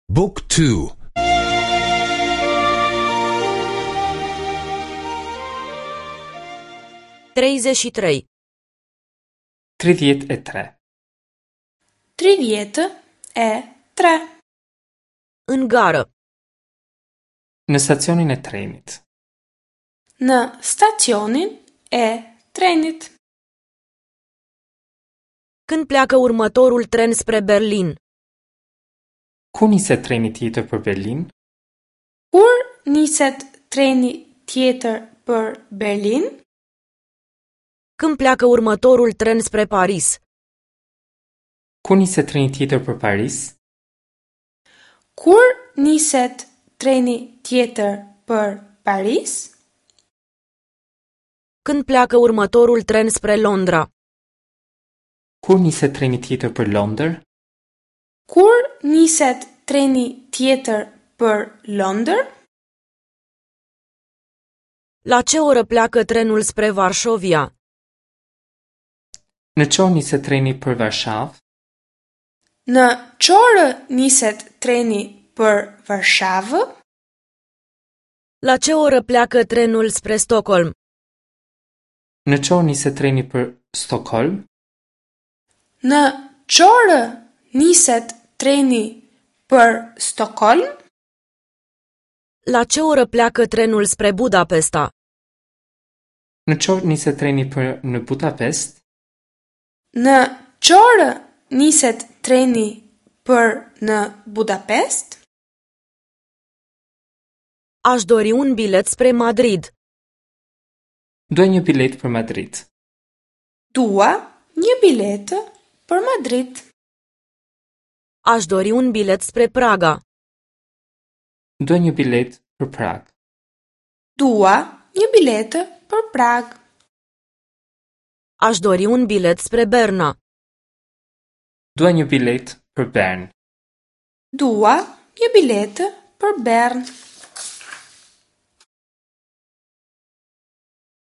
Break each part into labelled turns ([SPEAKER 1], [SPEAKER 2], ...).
[SPEAKER 1] Book 2
[SPEAKER 2] 33.
[SPEAKER 3] 33.
[SPEAKER 4] 33.
[SPEAKER 2] În gară.
[SPEAKER 3] Në stacionin e trenit.
[SPEAKER 4] Në stacionin e trenit.
[SPEAKER 2] Când pleacă următorul tren spre Berlin?
[SPEAKER 3] Kur niset treni tjetër për Berlin?
[SPEAKER 4] Kur niset treni tjetër për Berlin?
[SPEAKER 2] Când pleacă următorul tren spre Paris?
[SPEAKER 3] Kur niset treni tjetër për Paris?
[SPEAKER 4] Kur niset treni tjetër për Paris?
[SPEAKER 2] Când pleacă următorul tren spre Londra?
[SPEAKER 3] Kur niset treni tjetër për Londër?
[SPEAKER 4] Kur niset treni tjetër për Londër?
[SPEAKER 2] La ce oră pleacă trenul spre Varșovia?
[SPEAKER 3] Në ç'orë niset treni për Varshavë?
[SPEAKER 4] Në ç'orë niset treni për Varshavë?
[SPEAKER 2] La ce oră pleacă trenul spre Stockholm?
[SPEAKER 3] Në ç'orë niset treni për Stockholm?
[SPEAKER 4] Në ç'orë niset treni për Stockholm?
[SPEAKER 2] La ce oră pleacă trenul spre Budapesta?
[SPEAKER 3] Në ç'orë niset treni për në Budapest?
[SPEAKER 4] Në ç'orë niset treni për në Budapest?
[SPEAKER 2] Aș dori un bilet spre Madrid.
[SPEAKER 3] Dua një biletë për Madrid.
[SPEAKER 4] Dua një biletë për Madrid.
[SPEAKER 2] Aș dori un bilet spre Praga.
[SPEAKER 3] Dua një biletë për Prag.
[SPEAKER 4] Dua një biletë për Prag.
[SPEAKER 2] Aș dori un bilet spre Berna.
[SPEAKER 3] Dua një biletë për Bern.
[SPEAKER 4] Dua një biletë për Bern.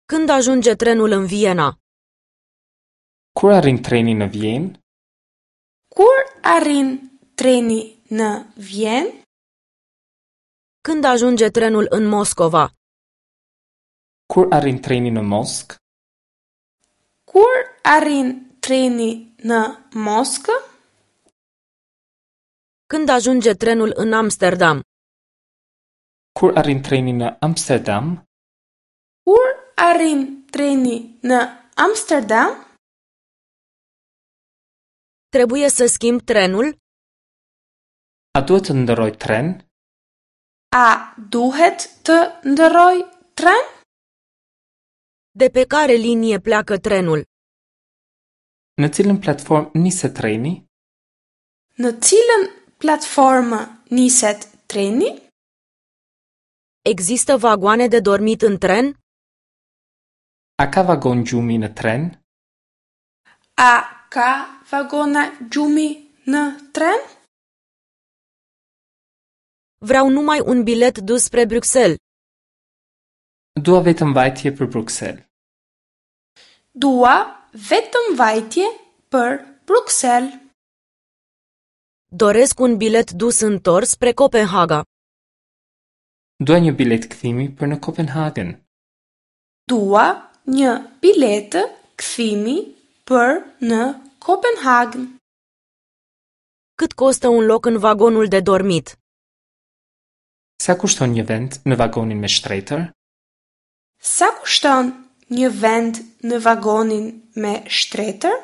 [SPEAKER 2] Când ajunge trenul în Viena?
[SPEAKER 3] Kur arrin treni në Vjenë?
[SPEAKER 4] Kur arrin treni në Vjenë?
[SPEAKER 2] Când ajunge trenul în Moscova?
[SPEAKER 3] Kur arrin treni në Moskë?
[SPEAKER 4] Kur arrin treni në Moskë?
[SPEAKER 2] Când ajunge trenul în Amsterdam?
[SPEAKER 3] Kur arrin treni në Amsterdam?
[SPEAKER 4] Kur arrin treni në Amsterdam?
[SPEAKER 2] Trebuie să schimb trenul?
[SPEAKER 3] A duhet të ndërroj tren?
[SPEAKER 4] A duhet të ndërroj tren?
[SPEAKER 2] De pe care linie pleacă trenul?
[SPEAKER 3] Në cilën platformë niset treni?
[SPEAKER 4] Në cilën platformë niset treni?
[SPEAKER 2] Există vagoane de dormit în tren?
[SPEAKER 3] A ka vagon gjumi në tren?
[SPEAKER 4] A ka vagona gjumi në tren?
[SPEAKER 2] Vreau numai un bilet dus spre Bruxelles.
[SPEAKER 3] Dua vetëm vajtje për Bruksel.
[SPEAKER 4] Dua vetëm vajtje për Bruksel.
[SPEAKER 2] Doresc un bilet dus întors spre Copenhaga.
[SPEAKER 3] Dua një biletë kthimi për në Kopenhagen.
[SPEAKER 4] Dua një biletë kthimi për në Kopenhagen.
[SPEAKER 2] Cât costă un loc în vagonul de dormit?
[SPEAKER 3] Sa kushton një vend në vagonin me shtretër?
[SPEAKER 4] Sa kushton një vend në vagonin me shtretër?